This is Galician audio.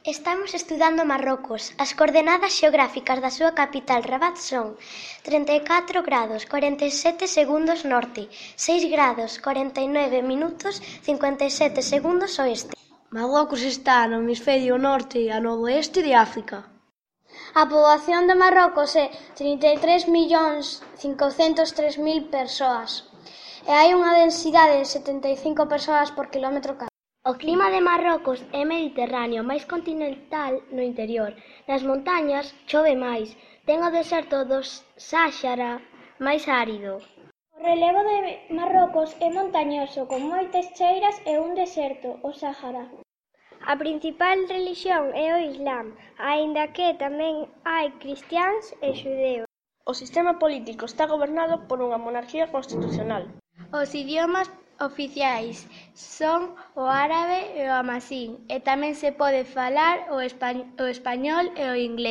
Estamos estudando Marrocos. As coordenadas xeográficas da súa capital Rabat son 34 grados 47 segundos norte, 6 grados 49 minutos 57 segundos oeste. Marrocos está no hemisferio norte e ao noroeste de África. A poboación de Marrocos é 33.503.000 persoas e hai unha densidade de 75 persoas por quilómetro cadro. O clima de Marrocos é mediterráneo, máis continental no interior. Nas montañas chove máis. Ten o deserto do Sáhara máis árido. O relevo de Marrocos é montañoso, con moitas cheiras e un deserto, o Sáhara. A principal relixión é o Islam, aínda que tamén hai cristiáns e xudeos. O sistema político está gobernado por unha monarquía constitucional. Os idiomas oficiais son o árabe e o amazigh, e tamén se pode falar o español e o inglés.